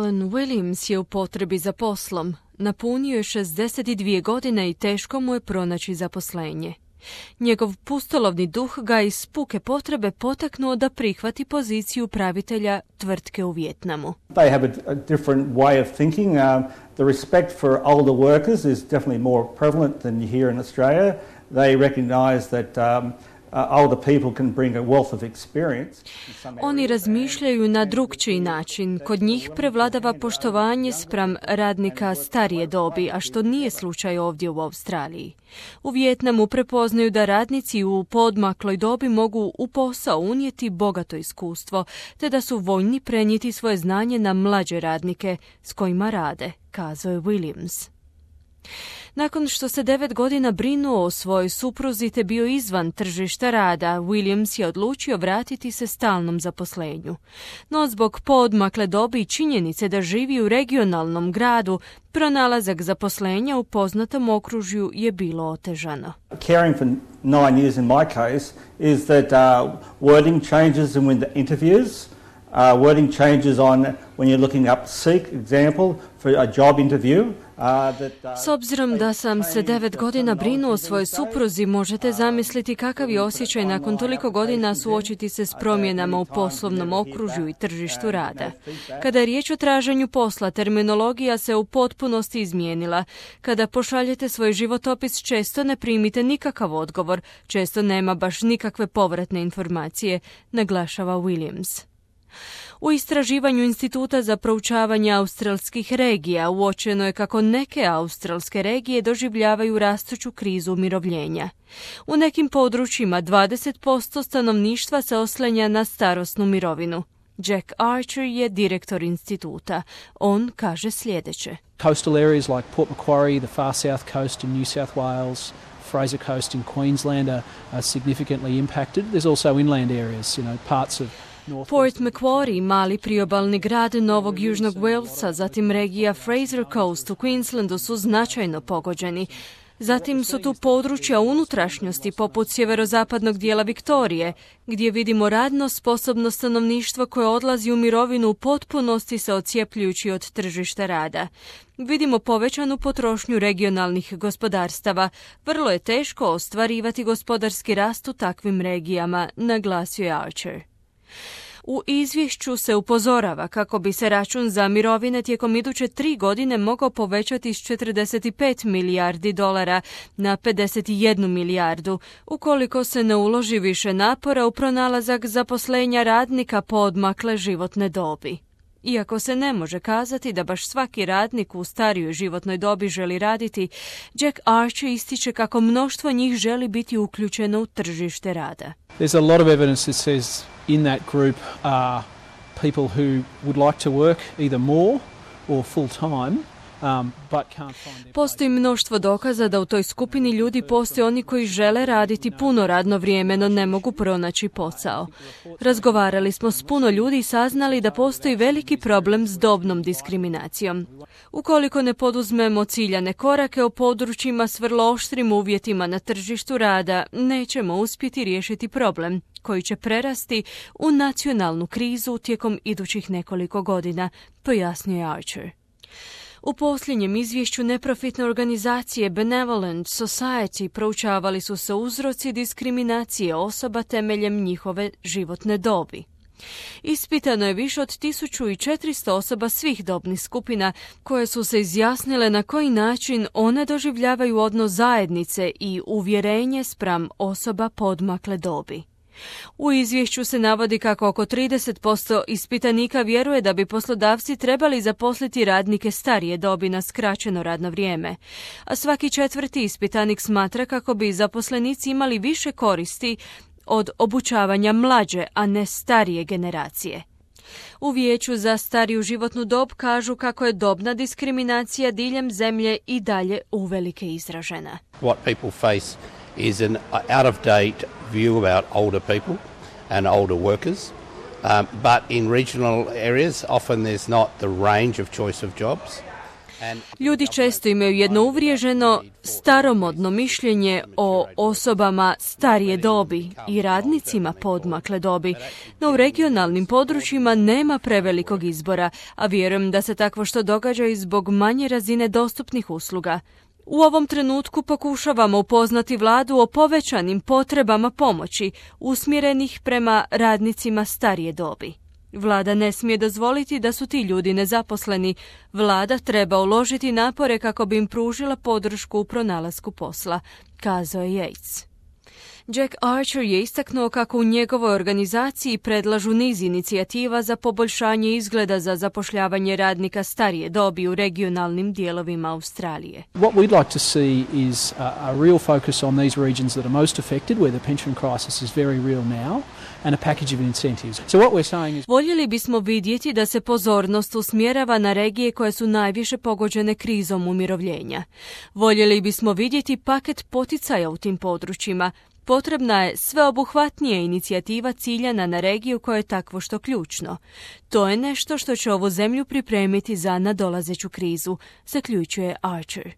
Alan Williams je u potrebi za poslom. Napunio je 62 godine i teško mu je pronaći zaposlenje. Njegov pustolovni duh ga iz puke potrebe potaknuo da prihvati poziciju upravitelja tvrtke u Vijetnamu. They have a different way of thinking. The respect for older workers is definitely more prevalent than here in Australia. They recognize that older people can bring a wealth of experience. Oni razmišljaju na drukčiji način. Kod njih prevladava poštovanje spram radnika starije dobi, a što nije slučaj ovdje u Australiji. U Vijetnamu prepoznaju da radnici u poodmakloj dobi mogu u posao unijeti bogato iskustvo, te da su voljni prenijeti svoje znanje na mlađe radnike s kojima rade, kazao je Williams. Nakon što se 9 godina brinuo o svojoj supruzi te bio izvan tržišta rada, Williams je odlučio vratiti se stalnom zaposlenju. No zbog poodmakle dobi i činjenice da živi u regionalnom gradu, pronalazak zaposlenja u poznatom okružju je bilo otežano. Caring for 9 years in my case is that wording changes in the interviews. Wording changes on when you're looking up seek example for a job interview. S obzirom da sam se 9 godina brinuo o svojoj supruzi, možete zamisliti kakav je osjećaj nakon toliko godina suočiti se s promjenama u poslovnom okružju i tržištu rada. Kada je riječ o traženju posla, terminologija se u potpunosti izmijenila. Kada pošaljete svoj životopis, često ne primite nikakav odgovor, često nema baš nikakve povratne informacije, naglašava Williams. U istraživanju Instituta za proučavanje australskih regija uočeno je kako neke australske regije doživljavaju rastuću krizu umirovljenja. U nekim područjima 20% stanovništva se oslanja na starosnu mirovinu. Jack Archer je direktor instituta. On kaže sljedeće. Coastal areas like Port Macquarie, the far south coast in New South Wales, Fraser Coast in Queensland are significantly impacted. There's also inland areas, parts of Port Macquarie, mali priobalni grad Novog Južnog Walesa, zatim regija Fraser Coast u Queenslandu su značajno pogođeni. Zatim su tu područja unutrašnjosti poput sjeverozapadnog dijela Viktorije, gdje vidimo radno sposobno stanovništvo koje odlazi u mirovinu u potpunosti se odcijepljujući od tržišta rada. Vidimo povećanu potrošnju regionalnih gospodarstava. Vrlo je teško ostvarivati gospodarski rast u takvim regijama, naglasio je Archer. U izvješću se upozorava kako bi se račun za mirovine tijekom iduće 3 godine mogao povećati s 45 milijardi dolara na 51 milijardu, ukoliko se ne uloži više napora u pronalazak zaposlenja radnika poodmakle životne dobi. Iako se ne može kazati da baš svaki radnik u starijoj životnoj dobi želi raditi, Jack Archer ističe kako mnoštvo njih želi biti uključeno u tržište rada. There's a lot of evidence that says in that group are people who would like to work either more or full time. Postoji mnoštvo dokaza da u toj skupini ljudi postoje oni koji žele raditi puno radno vrijeme, no ne mogu pronaći posao. Razgovarali smo s puno ljudi i saznali da postoji veliki problem s dobnom diskriminacijom. Ukoliko ne poduzmemo ciljane korake u područjima s vrlo oštrim uvjetima na tržištu rada, nećemo uspjeti riješiti problem, koji će prerasti u nacionalnu krizu tijekom idućih nekoliko godina, pojasnio je Archer. U posljednjem izvješću neprofitne organizacije Benevolent Society proučavali su se uzroci diskriminacije osoba temeljem njihove životne dobi. Ispitano je više od 1400 osoba svih dobnih skupina koje su se izjasnile na koji način one doživljavaju odnos zajednice i uvjerenje spram osoba poodmakle dobi. U izvješću se navodi kako oko 30% ispitanika vjeruje da bi poslodavci trebali zaposliti radnike starije dobi na skraćeno radno vrijeme, a svaki 4. ispitanik smatra kako bi zaposlenici imali više koristi od obučavanja mlađe, a ne starije generacije. U Vijeću za stariju životnu dob kažu kako je dobna diskriminacija diljem zemlje i dalje uvelike izražena. What people face is an out-of-date view about older people and older workers, but in regional areas often there's not the range of choice of jobs. Ljudi često imaju jedno uvriježeno, staromodno mišljenje o osobama starije dobi i radnicima poodmakle dobi, no u regionalnim područjima nema prevelikog izbora, a vjerujem da se takvo što događa i zbog manje razine dostupnih usluga. U ovom trenutku pokušavamo upoznati vladu o povećanim potrebama pomoći usmjerenih prema radnicima starije dobi. Vlada ne smije dozvoliti da su ti ljudi nezaposleni. Vlada treba uložiti napore kako bi im pružila podršku u pronalasku posla, kazao je Yates. Jack Archer je istaknuo kako u njegovoj organizaciji predlažu niz inicijativa za poboljšanje izgleda za zapošljavanje radnika starije dobi u regionalnim dijelovima Australije. What we'd like to see is a real focus on these regions that are most affected, where the pension crisis is very real now, and a package of incentives. So what we're saying is... Voljeli bismo vidjeti da se pozornost usmjerava na regije koje su najviše pogođene krizom umirovljenja. Voljeli bismo vidjeti paket poticaja u tim područjima. Potrebna je sveobuhvatnija inicijativa ciljana na regiju koja je takvo što ključno. To je nešto što će ovu zemlju pripremiti za nadolazeću krizu, zaključuje Archer.